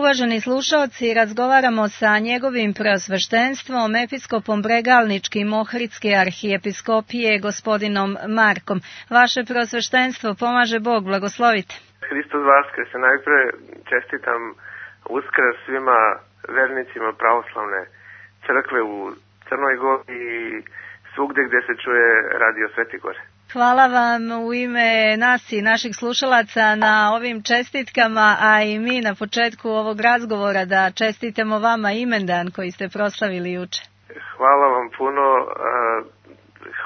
uvaženi slušaoci, razgovaramo sa njegovim preosveštenstvom, episkopom Bregalničkim Ohridske arhijepiskopije, gospodinom Markom. Vaše preosveštenstvo, pomaže Bog, blagoslovite. Hristos Vaskrs, najpre čestitam Uskrs svima vernicima pravoslavne crkve u Crnoj Gori i svugde gde se čuje radio Sveti Gore. Hvala vam u ime nas i naših slušalaca na ovim čestitkama, a i mi na početku ovog razgovora da čestitamo vama imendan koji ste proslavili juče. Hvala vam puno,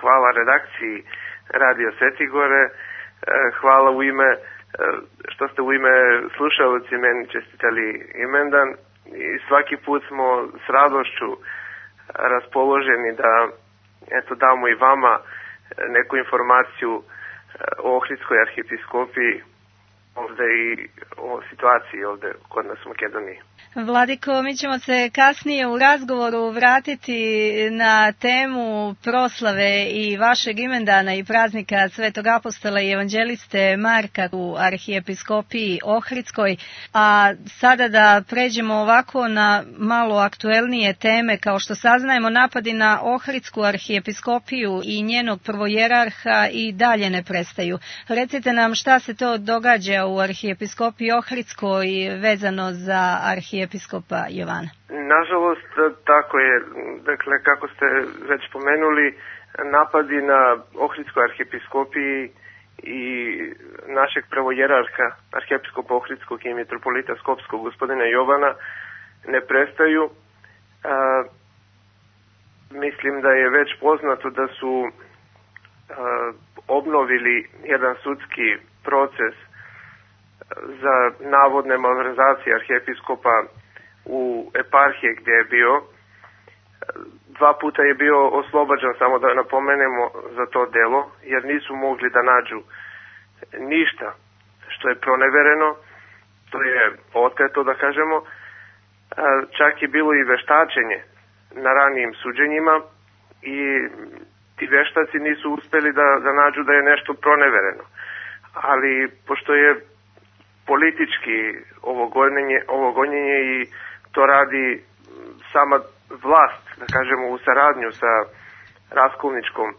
hvala redakciji radio Sveti Gore, hvala u ime, što ste u ime slušalci meni čestitali imendan i svaki put smo s radošću raspoloženi da damo i vama neku informaciju o Ohridskoj arhijepiskopiji ovde i o situaciji ovde kod nas u Makedoniji. Vladiko, mi ćemo se kasnije u razgovoru vratiti na temu proslave i vašeg imendana i praznika Svetog apostola i evanđeliste Marka u arhijepiskopiji Ohridskoj, a sada da pređemo ovako na malo aktuelnije teme. Kao što saznajemo, napadi na Ohridsku arhijepiskopiju i njenog prvojerarha i dalje ne prestaju. Recite nam šta se to događa u arhijepiskopiji Ohridskoj vezano za arhijepiskopa Jovana. Nažalost, tako je. Dakle, kako ste već pomenuli, napadi na Ohridskoj arhijepiskopiji i našeg prvojerarha, arhijepiskopa Ohridskog i mitropolita Skopskog, gospodina Jovana, ne prestaju. Mislim da je već poznato da su obnovili jedan sudski proces za navodne malverzacije arhijepiskopa u eparhije gdje je bio. 2 puta je bio oslobađan, samo da napomenemo, za to delo, jer nisu mogli da nađu ništa što je pronevereno, to je oteto, da kažemo. Čak je bilo i veštačenje na ranijim suđenjima i ti veštaci nisu uspeli da nađu da je nešto pronevereno. Ali pošto je politički ovo gonjenje i to radi sama vlast, da kažemo, u saradnju sa raskolničkom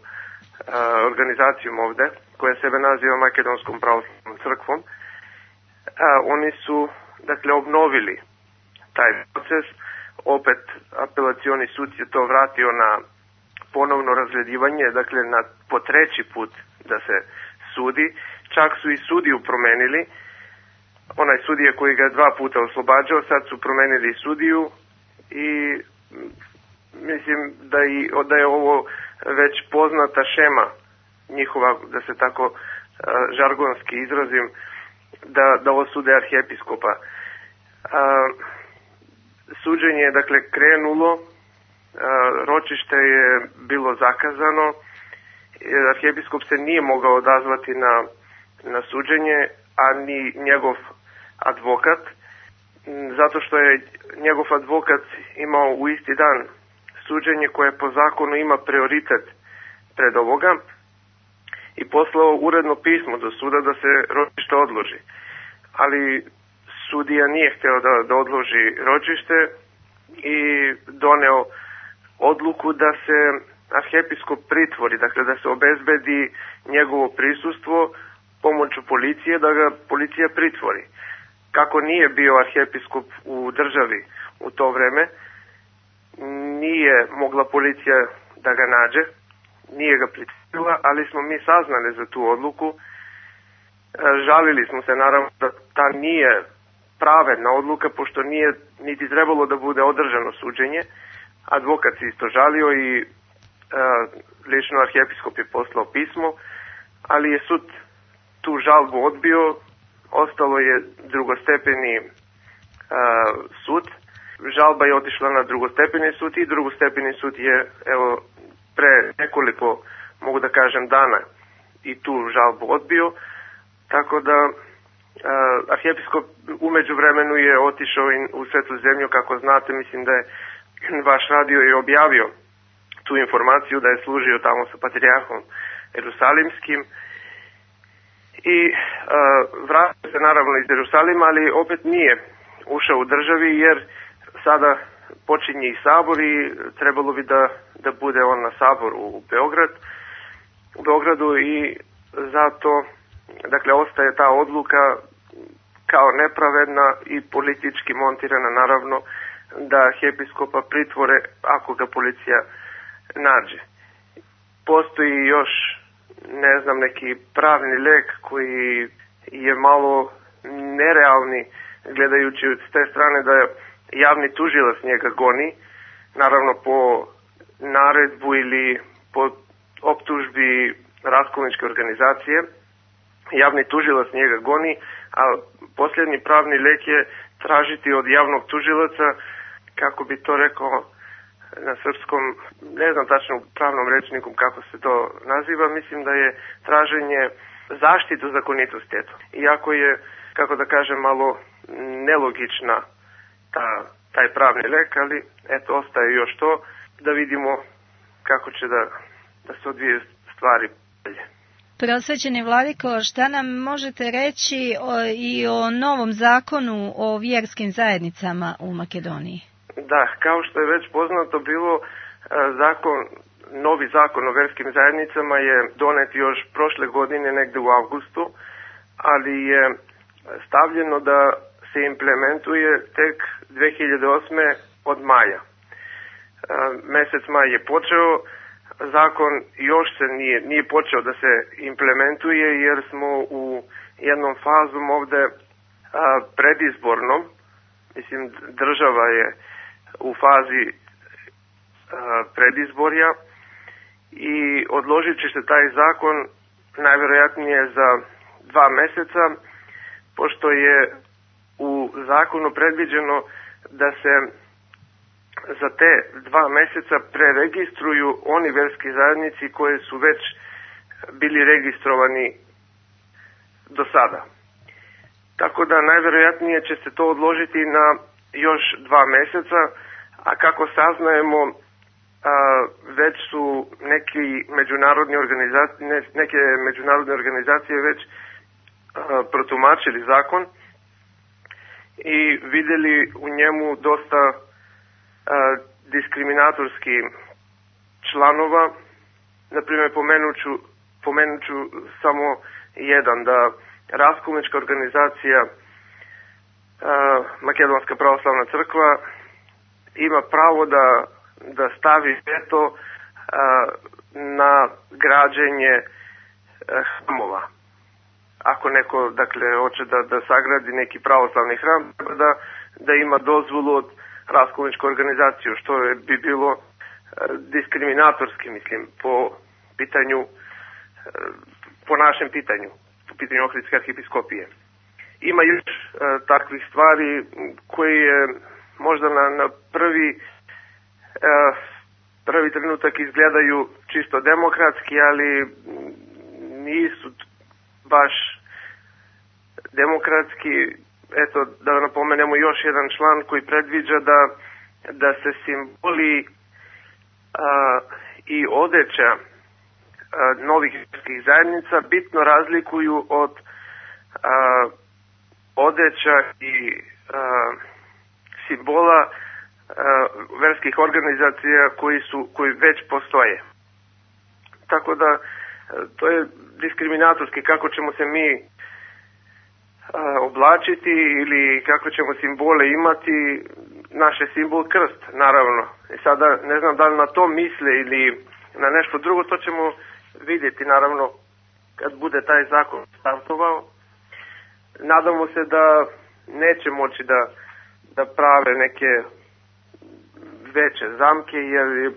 organizacijom ovde, koja sebe naziva Makedonskom pravoslavnom crkvom. Oni su, dakle, obnovili taj proces. Opet apelacioni sud je to vratio na ponovno razgledivanje, dakle po 3. put da se sudi. Čak su i sudiju promenili. Onaj sudija koji ga je 2 puta oslobađao, sad su promenili sudiju i mislim da je ovo već poznata šema njihova, da se tako žargonski izrazim, da osude arhijepiskopa. Suđenje je, dakle, krenulo, ročište je bilo zakazano, arhijepiskop se nije mogao odazvati na suđenje, a ni njegov advokat, zato što je njegov advokat imao u isti dan suđenje koje po zakonu ima prioritet pred ovoga i poslao uredno pismo do suda da se ročište odloži. Ali sudija nije hteo da odloži ročište i doneo odluku da se arhijepiskop pritvori, dakle da se obezbedi njegovo prisustvo pomoću policije, da ga policija pritvori. Kako nije bio arhijepiskop u državi u to vreme, nije mogla policija da ga nađe, nije ga pritvorila, ali smo mi saznali za tu odluku. Žalili smo se, naravno, da ta nije pravedna odluka, pošto nije niti trebalo da bude održano suđenje. Advokat se isto žalio i lično arhijepiskop je poslao pismo, ali je sud tu žalbu odbio, ostalo je drugostepeni sud. Žalba je otišla na drugostepeni sud i drugostepeni sud je, evo, pre nekoliko, mogu da kažem, dana i tu žalbu odbio, tako da arhijepiskop umeđu vremenu je otišao u Svetu zemlju, kako znate, mislim da je vaš radio i objavio tu informaciju da je služio tamo sa patrijarhom Jerusalimskim i vratio se naravno iz Jerusalima, ali opet nije ušao u državi, jer sada počinje i sabor i trebalo bi da bude on na saboru u Beogradu i zato, dakle, ostaje ta odluka kao nepravedna i politički montirana, naravno, da arhijepiskopa pritvore ako ga policija nađe. Postoji još, ne znam, neki pravni lek koji je malo nerealni, gledajući s te strane da javni tužilac njega goni, naravno po naredbu ili po optužbi raskolničke organizacije. Javni tužilac njega goni, a posljednji pravni lek je tražiti od javnog tužilaca, kako bi to rekao na srpskom, ne znam tačno u pravnom rečniku kako se to naziva, mislim da je traženje zaštitu zakonitosti. Eto. Iako je, kako da kažem, malo nelogična taj pravni lek, ali eto, ostaje još to da vidimo kako će da se odvije stvari dalje. Prosvećeni vladiko, šta nam možete reći i o novom zakonu o vjerskim zajednicama u Makedoniji? Da, kao što je već poznato bilo, novi zakon o vjerskim zajednicama je donet još prošle godine, negde u avgustu, ali je stavljeno da se implementuje tek 2008. od maja. Mesec maj je počeo, zakon još se nije počeo da se implementuje, jer smo u jednom fazom ovde predizbornom, mislim država je u fazi predizborja i odložit će se taj zakon najvjerojatnije za 2 meseca, pošto je u zakonu predviđeno da se za te 2 meseca preregistruju oni verski zajednici koje su već bili registrovani do sada. Tako da najvjerojatnije će se to odložiti na još 2 meseca, a kako saznajemo, već su neke međunarodne organizacije već protumačili zakon i vidjeli u njemu dosta diskriminatorski članova. Naprimjer, pomenuću samo jedan, da raskolnička organizacija Makedonska pravoslavna crkva ima pravo da stavi veto na građenje hramova. Ako neko, dakle, hoće da sagradi neki pravoslavni hram, da ima dozvolu od raskolničku organizaciju, što bi bilo diskriminatorski, mislim, po našem pitanju, po pitanju Ohridske arhijepiskopije. Ima još takvih stvari koji je možda na prvi trenutak izgledaju čisto demokratski, ali nisu baš demokratski. Eto, da napomenemo još jedan član koji predviđa da se simboli i odeća novih vjerskih zajednica bitno razlikuju od odeća i simbola verskih organizacija koji već postoje. Tako da to je diskriminatorski kako ćemo se mi oblačiti ili kako ćemo simbole imati. Naš je simbol krst, naravno. I sada ne znam da li na to misle ili na nešto drugo, to ćemo vidjeti, naravno, kad bude taj zakon startovao. Nadamo se da neće moći da prave neke veće zamke, jer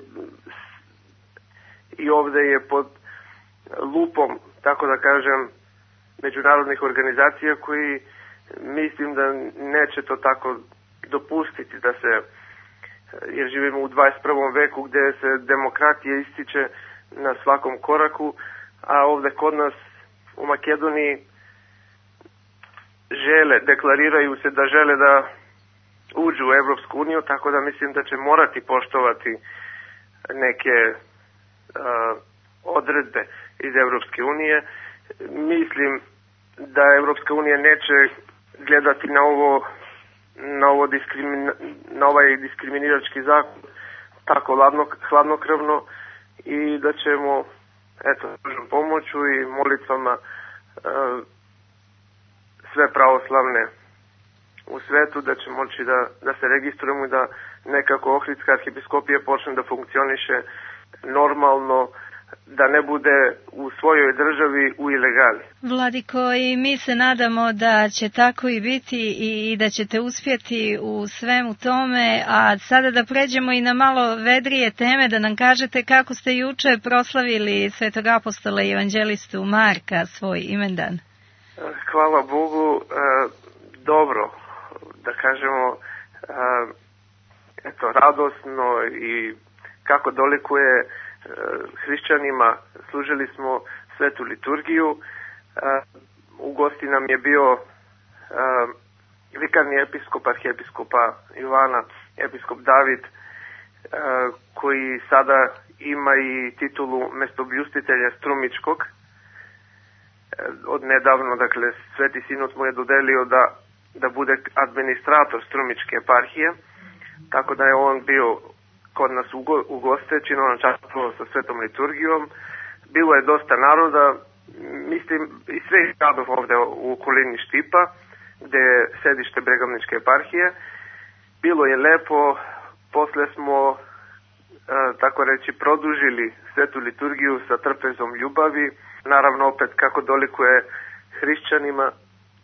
i ovdje je pod lupom, tako da kažem, međunarodnih organizacija koji mislim da neće to tako dopustiti da se, jer živimo u 21. veku gdje se demokratija ističe na svakom koraku, a ovdje kod nas u Makedoniji deklariraju se da žele da uđu u Evropsku uniju, tako da mislim da će morati poštovati neke odredbe iz Evropske unije. Mislim da Evropska unija neće gledati na ovo na ovaj diskriminirački zakon tako hladnokrvno i da ćemo pomoću i molitvama sve pravoslavne u svetu, da će moći da se registrujemo i da nekako Ohridska arhijepiskopija počne da funkcioniše normalno, da ne bude u svojoj državi u ilegali. Vladiko, i mi se nadamo da će tako i biti i da ćete uspjeti u svemu tome, a sada da pređemo i na malo vedrije teme, da nam kažete kako ste juče proslavili svetog apostola i evanđelistu Marka, svoj imendan. Hvala Bogu, dobro, da kažemo, radosno i kako dolikuje hrišćanima, služili smo svetu liturgiju. U gosti nam je bio vikarni episkop arhijepiskopa Jovana, episkop David, koji sada ima i titulu mestobljustitelja Strumičkog. Od nedavno, dakle, Sveti Sinod mu je dodelio da bude administrator Strumičke eparhije, tako da je on bio kod nas u goste, činovan častvo sa svetom liturgijom. Bilo je dosta naroda, mislim, i svih gradova ovde u okolini Štipa, gde je sedište Bregovničke eparhije. Bilo je lepo, posle smo, tako reći, produžili svetu liturgiju sa trpezom ljubavi, naravno opet kako dolikuje hrišćanima.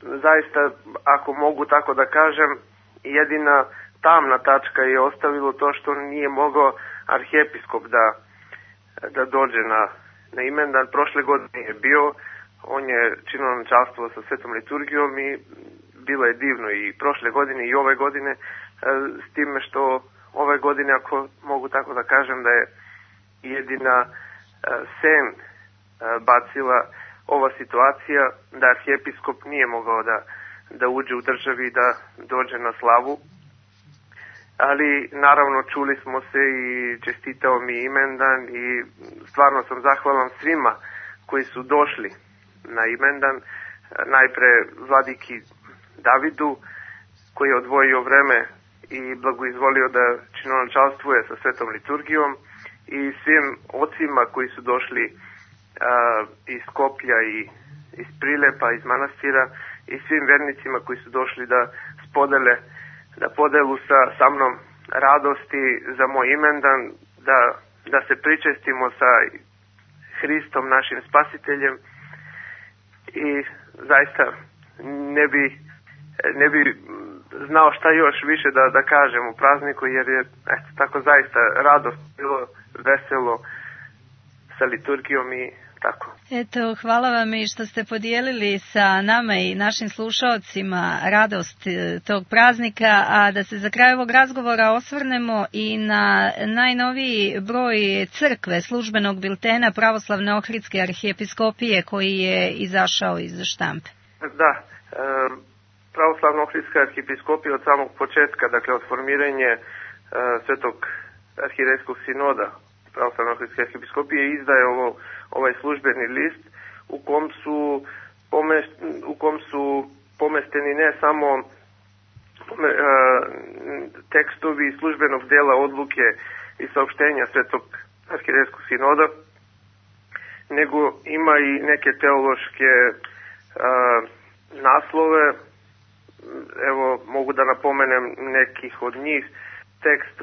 Zaista, ako mogu tako da kažem, jedina tamna tačka je ostavilo to što nije mogao arhijepiskop da dođe na imendan. Prošle godine je bio, on je činovan častvo sa svetom liturgijom i bilo je divno i prošle godine i ove godine, s time što ove godine, ako mogu tako da kažem, da je jedina sen bacila ova situacija, da arhijepiskop nije mogao da uđe u državi i da dođe na slavu. Ali naravno čuli smo se i čestitao mi imendan i stvarno sam zahvalan svima koji su došli na imendan. Najpre vladiki Davidu, koji je odvojio vreme i blagoizvolio da činovančalstvuje sa svetom liturgijom, i svim ocima koji su došli iz Skoplja i iz Prilepa, iz manastira, i svim vernicima koji su došli da podelu sa mnom radosti za moj imendan, da se pričestimo sa Hristom, našim spasiteljem, i zaista ne bi znao šta još više da kažem u prazniku, jer je tako zaista radost, bilo veselo sa liturgijom i tako. Eto, hvala vam i što ste podijelili sa nama i našim slušaocima radost tog praznika, a da se za kraj ovog razgovora osvrnemo i na najnoviji broj crkve, službenog biltena Pravoslavne Ohridske arhijepiskopije, koji je izašao iz štampe. Da, Pravoslavna Ohridska arhijepiskopija od samog početka, dakle od formiranja Svetog arhirejskog sinoda Pravoslavne Ohridske arhijepiskopije, izdaje ovaj službeni list u kom su pomesteni ne samo tekstovi službenog dela odluke i saopštenja Svetog arhirejskog sinoda, nego ima i neke teološke naslove. Evo, mogu da napomenem nekih od njih. Tekst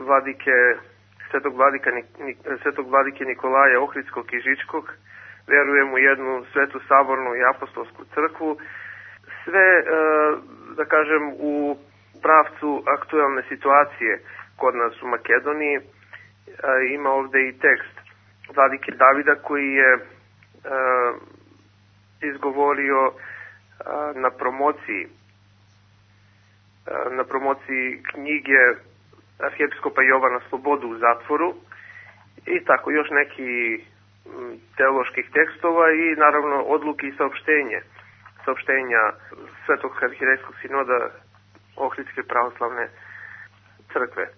Svetog vladike Nikolaja Ohridskog i Žičkog, verujem u jednu svetu sabornu i apostolsku crkvu. Sve, da kažem, u pravcu aktualne situacije kod nas u Makedoniji. Ima ovde i tekst vladike Davida koji je izgovorio na promociji knjige arhijepiskopa Jovana Slobodu u zatvoru, i tako još neki teoloških tekstova i naravno odluke i saopštenja Svetog arhirejskog sinoda Ohridske pravoslavne crkve.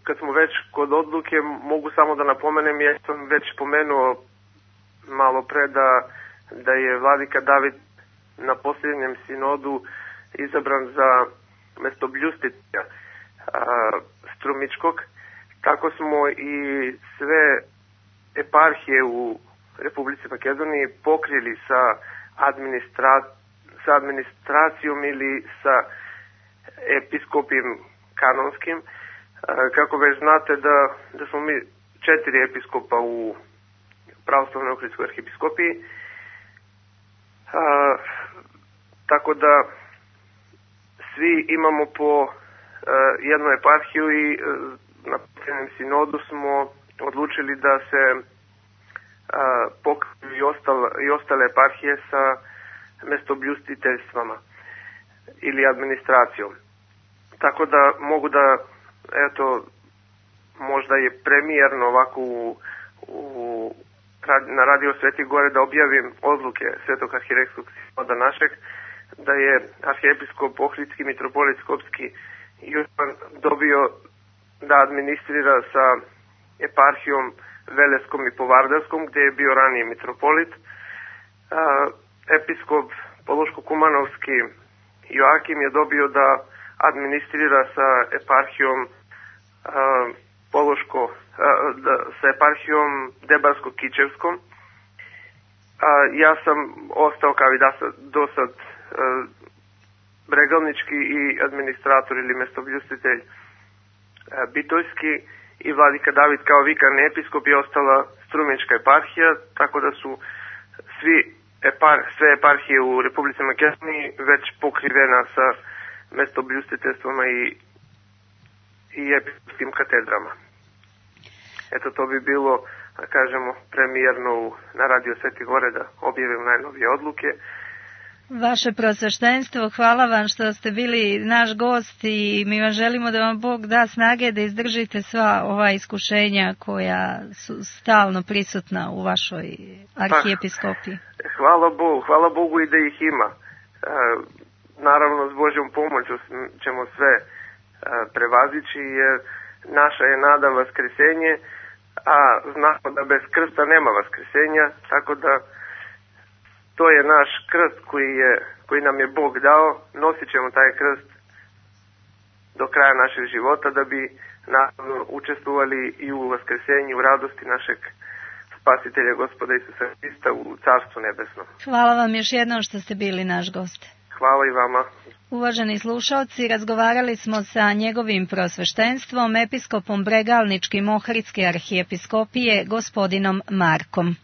Kad smo već kod odluke, mogu samo da napomenem, ja sam već pomenuo malo pre da je vladika David na posljednjem sinodu izabran za mestobljustitelja Strumičkog. Tako smo i sve eparhije u Republici Makedoniji pokrili sa administracijom ili sa episkopijom kanonskim. Kako već znate da smo mi 4 episkopa u pravoslavnoj Ohridskoj arhijepiskopiji. Tako da svi imamo po jednu eparhiju i na posljednjem sinodu smo odlučili da se pokriju i ostale eparhije sa mestobljustiteljstvama ili administracijom. Tako da mogu da, eto, možda je premijerno ovako na Radio Sveti Gore da objavim odluke Svetog arhijerejskog sinoda našeg, da je arhijepiskop Ohridski mitropolit Skopski Jovan dobio da administrira sa eparhijom Veleskom i Povardarskom, gdje je bio ranije mitropolit. Episkop Pološko-Kumanovski Joakim je dobio da administrira sa eparhijom sa eparhijom Debarsko-Kičevskom. Ja sam ostao kao i do sad bregalnički i administrator ili mestobljustitelj Bitojski i vladika David kao vikarni episkop je ostala Strumička eparhija, tako da su sve eparhije u Republici Makedoniji već pokrivena sa mestobljustiteljstvama i episkopskim katedrama. Eto, to bi bilo, da kažemo, premijerno na Radio Sveti Gore da objavim najnovije odluke. Vaše prosveštenstvo, hvala vam što ste bili naš gost i mi vam želimo da vam Bog da snage da izdržite sva ova iskušenja koja su stalno prisutna u vašoj arhijepiskopiji. Hvala Bogu i da ih ima. Naravno, s Božjom pomoću ćemo sve prevazići, jer naša je nada vaskrsenje, a znamo da bez krsta nema vaskresenja, tako da to je naš krst koji nam je Bog dao. Nosit ćemo taj krst do kraja našeg života da bi naravno učestvovali i u vaskresenju, u radosti našeg Spasitelja Gospoda Isusa Hrista u Carstvu nebesnom. Hvala vam još jednom što ste bili naš gost. Hvala i vama. Uvaženi slušalci, razgovarali smo sa njegovim prosveštenstvom, episkopom Bregalničkim Ohridske arhijepiskopije, gospodinom Markom.